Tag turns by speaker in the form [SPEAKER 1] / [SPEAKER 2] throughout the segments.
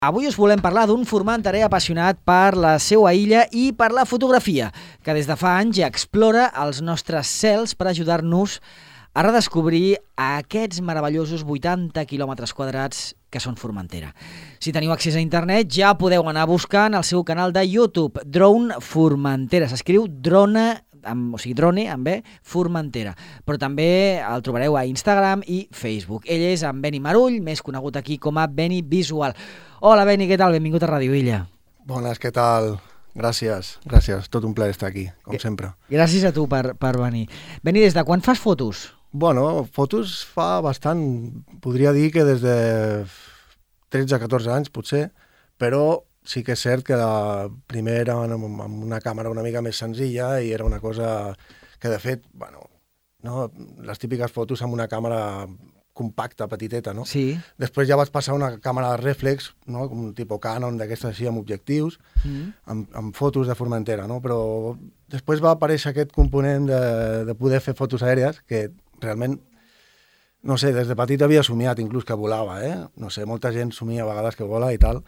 [SPEAKER 1] Avui us volem parlar d'un formenterer apassionat per la seva illa i per la fotografia, que des de fa anys ja explora els nostres cels per ajudar-nos a redescobrir aquests meravellosos 80 quilòmetres quadrats que són Formentera. Si teniu accés a internet ja podeu anar buscant el seu canal de YouTube, Drone Formentera. S'escriu drone amb B, Formentera. Però també el trobareu a Instagram i Facebook. Ell és en Beni Marull, més conegut aquí com a Beni Visual. Hola Beni, què tal? Benvingut a Ràdio Illa.
[SPEAKER 2] Bones, què tal? Gràcies. Tot un plaer estar aquí, com sempre.
[SPEAKER 1] Gràcies a tu per venir. Beni, des de quan fas fotos?
[SPEAKER 2] Bueno, fotos fa bastant, podria dir que des de 13-14 anys, potser, però sí que és cert que primer era amb una càmera una mica més senzilla i era una cosa que, de fet, bueno, no, les típiques fotos amb una càmera compacta, petiteta, no?
[SPEAKER 1] Sí.
[SPEAKER 2] Després ja vaig passar a una càmera reflex, no? Com un tipus Canon, d'aquestes així, amb objectius, amb fotos de Formentera, no? Però després va aparèixer aquest component de poder fer fotos aèries, que realment, no sé, des de petit havia somiat inclús que volava, No sé, molta gent somia a vegades que vola i tal.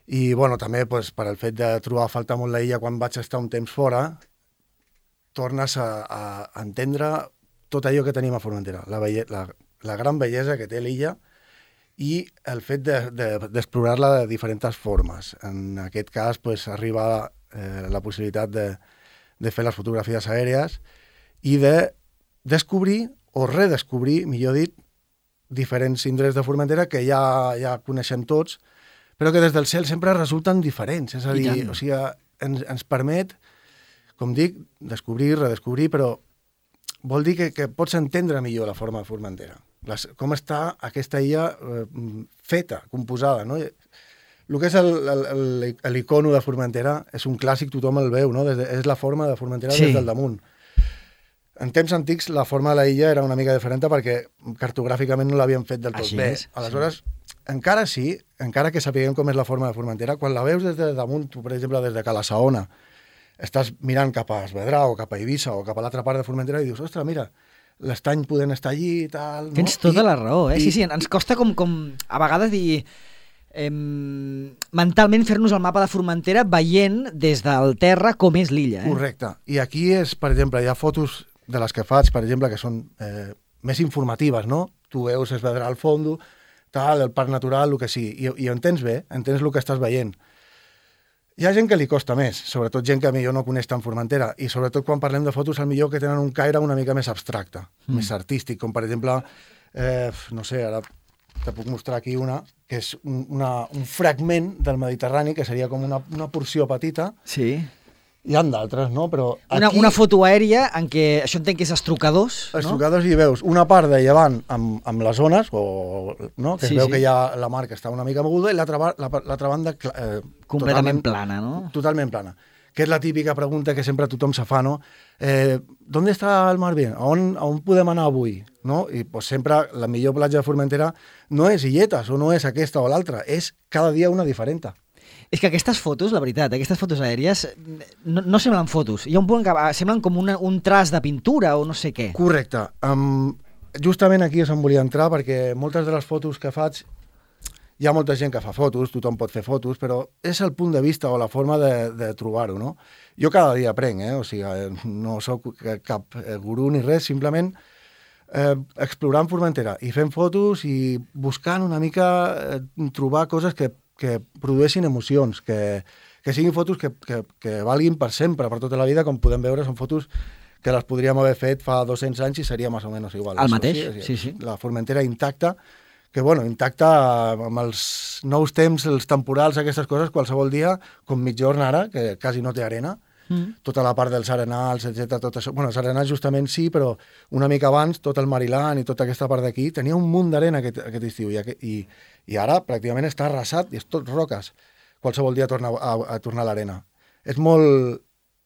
[SPEAKER 2] I, bueno, també pues, per el fet de trobar a faltar molt la illa quan vaig estar un temps fora, tornes a entendre tot allò que tenim a Formentera, la gran bellesa que té l'illa i el fet d'explorar-la de diferents formes. En aquest cas, pues, arriba la possibilitat de fer les fotografies aèries i de descobrir o redescobrir, millor dit, diferents indrets de Formentera que ja coneixem tots, però que des del cel sempre resulten diferents. És a dir, o sigui, ens permet, com dic, descobrir, redescobrir, però vol dir que pots entendre millor la forma de Formentera. Com està aquesta illa feta, composada, no? El que és l'icono de Formentera és un clàssic, tothom el veu, no? És la forma de Formentera des del damunt. En temps antics la forma de la illa era una mica diferent perquè cartogràficament no l'havien fet del tot bé. Aleshores, encara que sapiguem com és la forma de Formentera, quan la veus des de damunt, tu, per exemple, des de Cala Saona, estàs mirant cap a Esvedrà o cap a Eivissa o cap a l'altra part de Formentera i dius, ostres, mira, l'estany podent estar allí i tal... No?
[SPEAKER 1] Tens tota la raó, eh? Sí, ens costa com a vegades dir... mentalment fer-nos el mapa de Formentera veient des del terra com és l'illa.
[SPEAKER 2] Correcte. I aquí és, per exemple, hi ha fotos de les que faig, per exemple, que són més informatives, no? Tu veus Esvedrà al fons, tal, el parc natural, el que sigui, i ho entens bé, entens el que estàs veient. Hi ha gent que li costa més, sobretot gent que millor no coneix tant Formentera, i sobretot quan parlem de fotos, al millor que tenen un caire una mica més abstracte, més artístic, com per exemple, no sé, ara te puc mostrar aquí una, que és un fragment del Mediterrani, que seria com una porció petita.
[SPEAKER 1] Sí.
[SPEAKER 2] Hi ha d'altres, no? Però aquí...
[SPEAKER 1] Una foto aèria en què, això entenc que és estrucadors, no?
[SPEAKER 2] Estrucadors, i veus una part de llevant amb les ones, no? Que es veu que hi ha la mar que està una mica moguda, i l'altra banda
[SPEAKER 1] completament plana, no?
[SPEAKER 2] Totalment plana. Que és la típica pregunta que sempre tothom se fa, no? ¿Dónde está el mar bien? A on podem anar avui? No? I pues, sempre la millor platja de Formentera no és Illetes, o no és aquesta o l'altra, és cada dia una diferent.
[SPEAKER 1] És que aquestes fotos, la veritat, aquestes fotos aèries no semblen fotos. Hi ha un punt que semblen com un traç de pintura o no sé què.
[SPEAKER 2] Correcte. Justament aquí és on volia entrar, perquè moltes de les fotos que faig, hi ha molta gent que fa fotos, tothom pot fer fotos, però és el punt de vista o la forma de trobar-ho, no? Jo cada dia aprenc, o sigui, no sóc cap gurú ni res, simplement explorant Formentera i fent fotos i buscant una mica trobar coses que produeixin emocions, que siguin fotos que valguin per sempre, per tota la vida, com podem veure, són fotos que les podríem haver fet fa 200 anys i seria més o menys igual.
[SPEAKER 1] El mateix, sí.
[SPEAKER 2] La Formentera intacta, que intacta amb els nous temps, els temporals, aquestes coses, qualsevol dia, com mitjorn ara, que quasi no té arena, tota la part dels arenals, etc. Tot això. Bueno, els arenals justament sí, però una mica abans, tot el Mariland i tota aquesta part d'aquí, tenia un munt d'arena aquest estiu, i ara pràcticament està arrasat i és tot roques. Qualsevol dia torna a tornar a l'arena. És molt...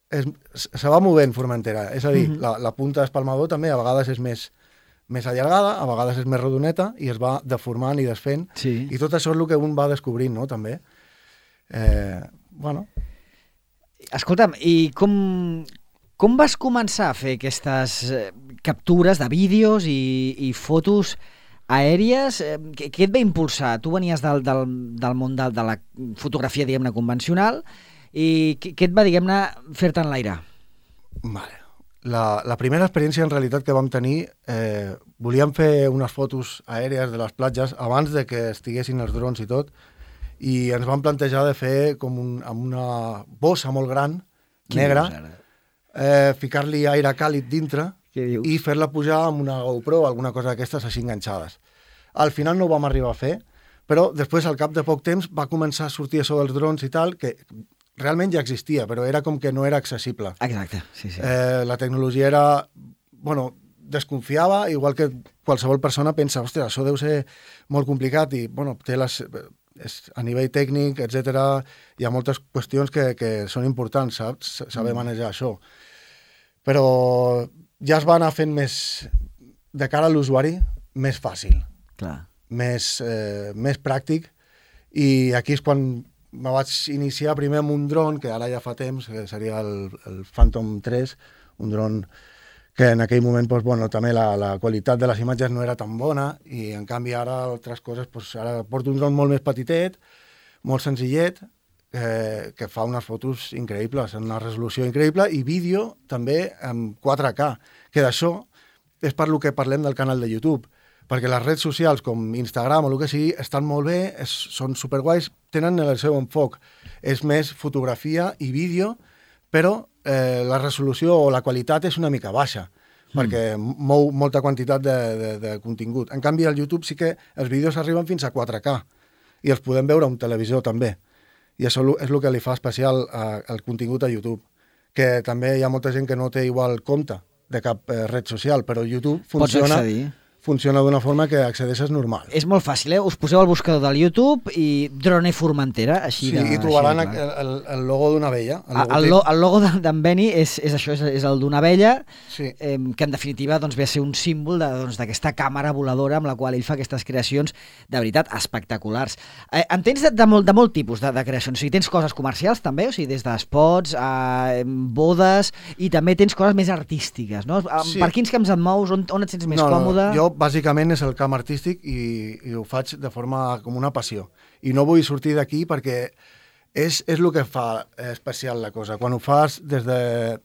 [SPEAKER 2] se va movent Formentera, és a dir, la punta d'Espalmador també a vegades és més allargada, a vegades és més rodoneta i es va deformant i desfent, i tot això és el que un va descobrint, no?, també.
[SPEAKER 1] Escolta'm, i com vas començar a fer aquestes captures de vídeos i fotos aèries. Què et va impulsar? Tu venies del món de la fotografia, diguem-ne, convencional, i què et va, diguem-ne, fer-te enlairar?
[SPEAKER 2] Vale. La primera experiència, en realitat, que vam tenir, volíem fer unes fotos aèries de les platges abans de que estiguessin els drons i tot, i ens vam plantejar de fer com amb una bossa molt gran, negra, ficar-li aire càlid dintre i fer-la pujar amb una GoPro o alguna cosa d'aquestes així enganxades. Al final no ho vam arribar a fer, però després, al cap de poc temps, va començar a sortir això dels drons i tal, que realment ja existia, però era com que no era accessible.
[SPEAKER 1] Exacte, sí.
[SPEAKER 2] La tecnologia era... Bueno, desconfiava, igual que qualsevol persona pensa, ostres, això deu ser molt complicat i, bueno, té a nivell tècnic, etc. Hi ha moltes qüestions que són importants, saps? Saber manejar això. Però ja es va anar fent més, de cara a l'usuari, més fàcil.
[SPEAKER 1] Clar.
[SPEAKER 2] Més pràctic, i aquí és quan me vaig iniciar primer amb un dron, que ara ja fa temps, que seria el Phantom 3, un dron que en aquell moment doncs, bueno, també la qualitat de les imatges no era tan bona, i en canvi ara altres coses, doncs, ara porto un dron molt més petitet, molt senzillet, que fa unes fotos increïbles, en una resolució increïble, i vídeo també amb 4K, que d'això és per lo que parlem del canal de YouTube, perquè les redes socials com Instagram o el que sigui estan molt bé, són superguais, tenen el seu enfoc, és més fotografia i vídeo, però la resolució o la qualitat és una mica baixa, perquè mou molta quantitat de contingut. En canvi, al YouTube sí que els vídeos arriben fins a 4K i els podem veure a un televisor també. I això és el que li fa especial al contingut a YouTube, que també hi ha molta gent que no té igual compte de cap red social, però YouTube funciona d'una forma que accedeixes normal.
[SPEAKER 1] És molt fàcil, Us poseu al buscador del YouTube i Drone Formentera, així
[SPEAKER 2] sí, i trobaran el logo d'una abella.
[SPEAKER 1] El logo d'en Beni és això, és el d'una abella,
[SPEAKER 2] sí.
[SPEAKER 1] Que en definitiva doncs, ve a ser un símbol d'aquesta càmera voladora amb la qual ell fa aquestes creacions de veritat espectaculars. En tens de molt tipus de creacions, o sigui, tens coses comercials també, o sigui, des d'espots a bodes, i també tens coses més artístiques, no? Sí. Per quins camps et mous, on et sents més còmode?
[SPEAKER 2] Jo bàsicament és el camp artístic i ho faig de forma com una passió. I no vull sortir d'aquí perquè és el que fa especial la cosa. Quan ho fas des de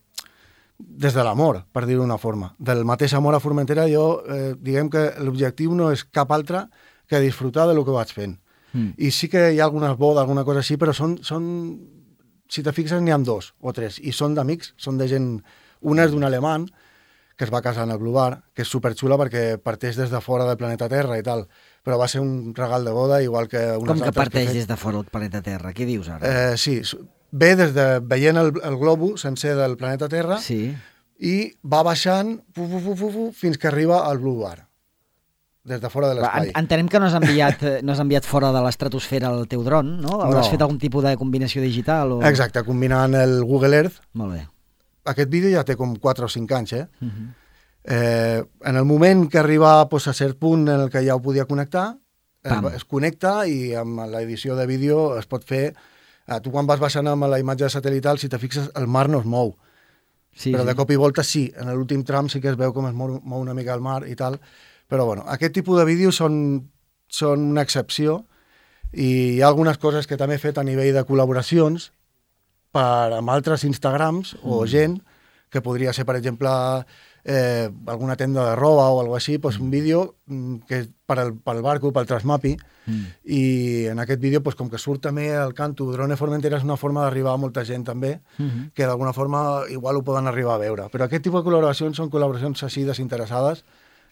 [SPEAKER 2] l'amor, per dir-ho d'una forma. Del mateix amor a Formentera, jo diguem que l'objectiu no és cap altre que disfrutar del que vaig fent. I sí que hi ha algunes bodes, alguna cosa així, però són si te fixes, n'hi ha 2 o 3, i són d'amics, són de gent... Una és d'un alemany, que es va casar en el Blue Bar, que és superxula perquè parteix des de fora del planeta Terra i tal, però va ser un regal de boda, igual que unes altres...
[SPEAKER 1] Com que parteix des de fora del planeta Terra? Què dius ara?
[SPEAKER 2] Sí, ve veient el globo sencer del planeta Terra,
[SPEAKER 1] sí.
[SPEAKER 2] I va baixant fins que arriba al Blue Bar, des de fora de l'espai.
[SPEAKER 1] Entenem que no has enviat fora de l'estratosfera el teu dron, no? Hauràs fet algun tipus de combinació digital?
[SPEAKER 2] Exacte, combinant el Google Earth.
[SPEAKER 1] Molt bé.
[SPEAKER 2] Aquest vídeo ja té com 4 o 5 anys, en el moment que arriba a cert punt en el que ja ho podia connectar, es connecta i amb l'edició de vídeo es pot fer... Tu quan vas baixant amb la imatge satelital, si te fixes, el mar no es mou. Sí, però de cop i volta sí, en l'últim tram sí que es veu com es mou una mica el mar i tal. Però bueno, aquest tipus de vídeos són una excepció, i hi ha algunes coses que també he fet a nivell de col·laboracions amb altres Instagrams o gent, que podria ser, per exemple, alguna tenda de roba o alguna així, doncs un vídeo que és pel barco, pel Transmapi, i en aquest vídeo, com que surt també el canto Drone Formentera, és una forma d'arribar a molta gent també, que d'alguna forma igual ho poden arribar a veure. Però aquest tipus de col·laboracions són col·laboracions així desinteressades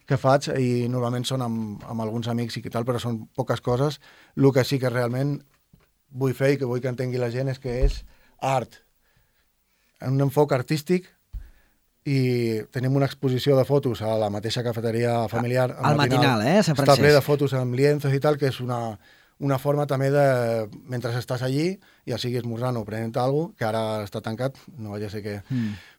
[SPEAKER 2] que faig, i normalment són amb alguns amics i tal, però són poques coses. El que sí que realment vull fer i que vull que entengui la gent és que és art, un enfoc artístic, i tenim una exposició de fotos a la mateixa cafeteria familiar
[SPEAKER 1] al matinal, Sant Francesc.
[SPEAKER 2] Està ple de fotos amb lienzos i tal, que és una forma també de, mentre estàs allí, ja sigui esmorzant o prenent alguna cosa, que ara està tancat, no vaja a ser que...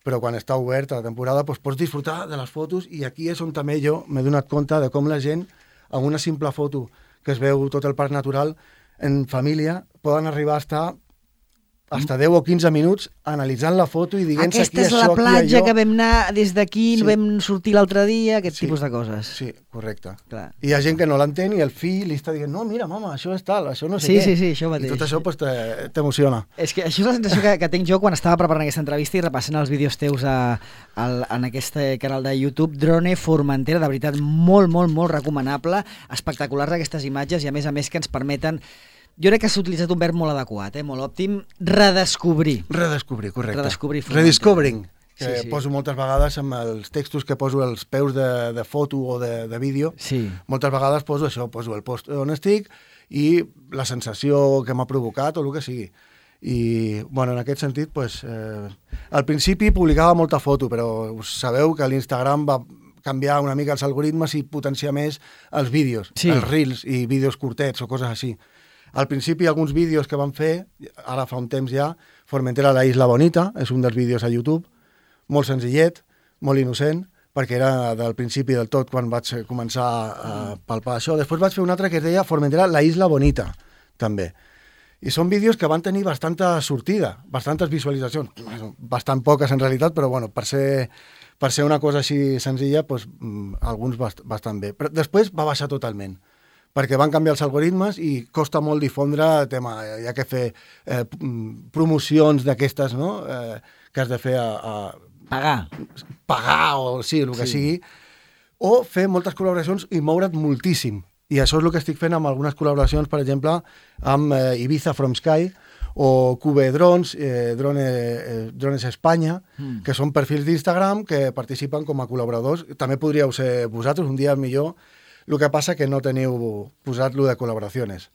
[SPEAKER 2] Però quan està obert a la temporada, pots disfrutar de les fotos, i aquí és on també jo m'he donat compte de com la gent, amb una simple foto que es veu tot el parc natural, en família, poden arribar a estar hasta 10 o 15 minuts analitzant la foto i dient-se
[SPEAKER 1] aquesta és la platja que vam anar des d'aquí, vam sortir l'altre dia, aquest tipus de coses.
[SPEAKER 2] Sí, correcte.
[SPEAKER 1] Clar.
[SPEAKER 2] I hi ha gent que no l'entén i el fill li està dient, no, mira, mama, això és tal, això no sé què.
[SPEAKER 1] Sí, això mateix.
[SPEAKER 2] I tot això pues, t'emociona.
[SPEAKER 1] És que això és la sensació que tinc jo quan estava preparant aquesta entrevista i repassant els vídeos teus en aquest canal de YouTube. Drone Formentera, de veritat, molt, molt, molt recomanable, espectaculars aquestes imatges i a més que ens permeten. Jo crec que s'ha utilitzat un verb molt adequat, molt òptim, redescobrir.
[SPEAKER 2] Redescobrir, correcte.
[SPEAKER 1] Redescobrir Formentera.
[SPEAKER 2] Rediscovering, que
[SPEAKER 1] sí.
[SPEAKER 2] Poso moltes vegades amb els textos que poso als peus de foto o de vídeo.
[SPEAKER 1] Sí.
[SPEAKER 2] Moltes vegades poso això, poso el post on estic i la sensació que m'ha provocat o el que sigui. I, bueno, en aquest sentit, pues, al principi publicava molta foto, però us sabeu que l'Instagram va canviar una mica els algoritmes i potenciar més els vídeos, els reels i vídeos curtets o coses així. Al principi, alguns vídeos que vam fer, ara fa un temps ja, Formentera la Isla Bonita, és un dels vídeos a YouTube, molt senzillet, molt innocent, perquè era del principi del tot quan vaig començar a palpar això. Després vaig fer un altre que es deia Formentera la Isla Bonita, també. I són vídeos que van tenir bastanta sortida, bastantes visualitzacions, bastant poques en realitat, però bueno, per ser una cosa així senzilla, doncs, alguns bastant bé. Però després va baixar totalment, perquè van canviar els algoritmes i costa molt difondre el tema. Hi ha que fer promocions d'aquestes, no? Que has de fer a pagar o sí, el que sigui, o fer moltes col·laboracions i moure't moltíssim. I això és el que estic fent amb algunes col·laboracions, per exemple, amb Ibiza From Sky o Cube Drones, Drones Espanya, que són perfils d'Instagram que participen com a col·laboradors. També podríeu ser vosaltres, un dia millor. El que passa que no teniu posat-lo de col·laboracions.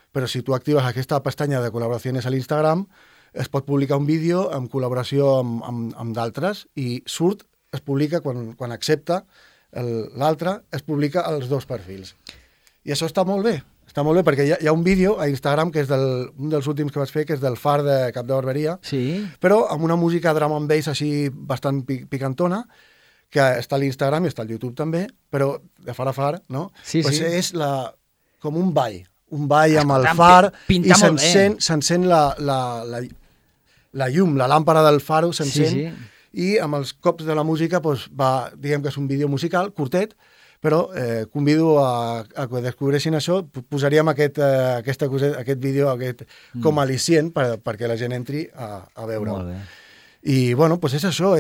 [SPEAKER 2] Però si tu actives aquesta pestanya de col·laboracions a l'Instagram, es pot publicar un vídeo en col·laboració amb d'altres i es publica quan accepta l'altre, es publica els dos perfils. I això està molt bé perquè hi ha un vídeo a Instagram que és un dels últims que vaig fer, que és del far de Cap de Barberia, però amb una música drum and bass així bastant picantona, que està a l'Instagram i està al YouTube també, però de far a far, no? Pues és com un ball amb el far i s'encén la llum, la làmpara del faro s'encén i amb els cops de la música diguem que és un vídeo musical, curtet, però convido a que descobreixin això, posaríem aquest vídeo com a al·licient perquè la gent entri a veure-ho.
[SPEAKER 1] Molt bé.
[SPEAKER 2] I, bueno, doncs és això.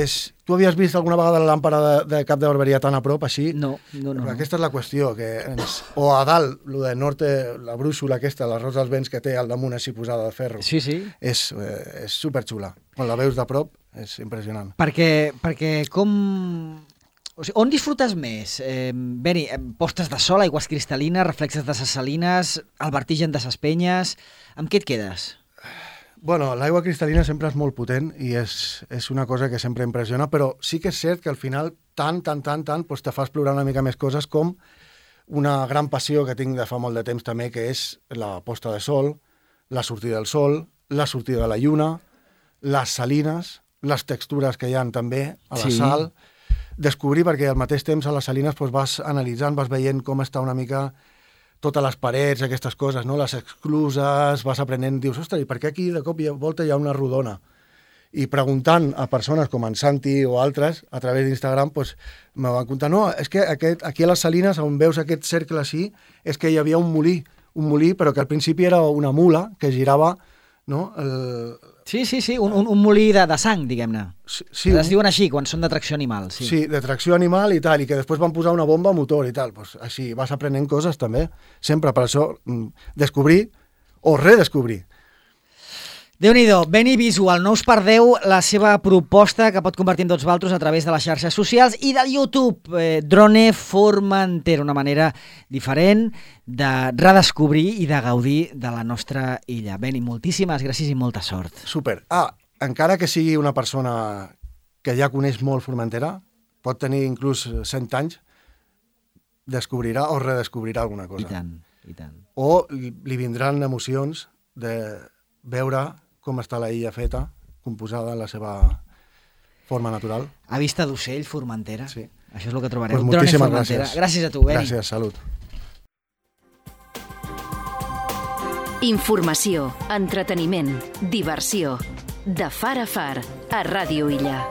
[SPEAKER 2] Tu havies vist alguna vegada la làmpara de Cap de Barberia tan a prop, així?
[SPEAKER 1] No.
[SPEAKER 2] Aquesta és la qüestió. O a dalt, de norte, la brúixola aquesta, la rosa dels vents que té al damunt així posada de ferro.
[SPEAKER 1] Sí.
[SPEAKER 2] És superxula. Quan la veus de prop, és impressionant.
[SPEAKER 1] Perquè com... O sigui, on disfrutes més? Beni, postes de sol, aigües cristal·lines, reflexes de ses salines, el vertigen de ses penyes... Amb què et quedes?
[SPEAKER 2] Bueno, l'aigua cristal·lina sempre és molt potent i és una cosa que sempre impressiona, però sí que és cert que al final tant, doncs te fa explorar una mica més coses, com una gran passió que tinc de fa molt de temps també, que és la posta de sol, la sortida del sol, la sortida de la lluna, les salines, les textures que hi ha també a la sal, descobrir, perquè al mateix temps a les salines doncs vas analitzant, vas veient com està una mica totes les parets, aquestes coses, no? Les excluses, vas aprenent, dius, ostres, i per què aquí de cop i volta hi ha una rodona? I preguntant a persones com en Santi o altres, a través d'Instagram, doncs, me van contar, no, és que aquí a les Salines, on veus aquest cercle així, és que hi havia un molí, però que al principi era una mula que girava, no?
[SPEAKER 1] Sí, un molí de sang, diguem-ne.
[SPEAKER 2] Sí,
[SPEAKER 1] es diuen així, quan són de tracció animal.
[SPEAKER 2] Sí, de tracció animal i tal, i que després van posar una bomba a motor i tal. Pues així vas aprenent coses també. Sempre per això descobrir o redescobrir.
[SPEAKER 1] Déu-n'hi-do, Beni Visual, no us perdeu la seva proposta que pot convertir en tots vosaltres a través de les xarxes socials i del YouTube, Drone Formentera, una manera diferent de redescobrir i de gaudir de la nostra illa. Beni, moltíssimes gràcies i molta sort.
[SPEAKER 2] Super. Encara que sigui una persona que ja coneix molt Formentera, pot tenir inclús 100 anys, descobrirà o redescobrirà alguna cosa.
[SPEAKER 1] I tant.
[SPEAKER 2] O li vindran emocions de veure com està la illa feta, composada en la seva forma natural.
[SPEAKER 1] A vista d'ocell, Formentera.
[SPEAKER 2] Sí.
[SPEAKER 1] Això és el que trobareu.
[SPEAKER 2] Pues moltíssimes gràcies.
[SPEAKER 1] Gràcies a tu, Beni.
[SPEAKER 2] Gràcies, salut.
[SPEAKER 3] Informació, entreteniment, diversió. De far a far, a Ràdio Illa.